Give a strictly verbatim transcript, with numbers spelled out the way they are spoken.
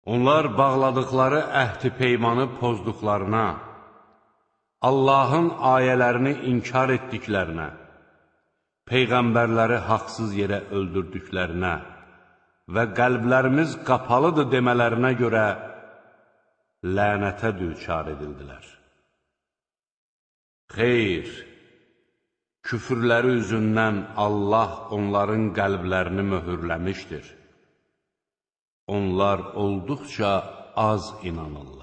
Onlar bağladıkları əhd-i peymanı pozduqlarına, Allahın ayələrini inkar etdiklərinə, Peyğəmbərləri haqsız yerə öldürdüklərinə və qəlblərimiz qapalıdır demələrinə görə lənətə düçar edildilər. Xeyr, küfürləri üzündən Allah onların qəlblərini möhürləmişdir. Onlar olduqca az inanırlar.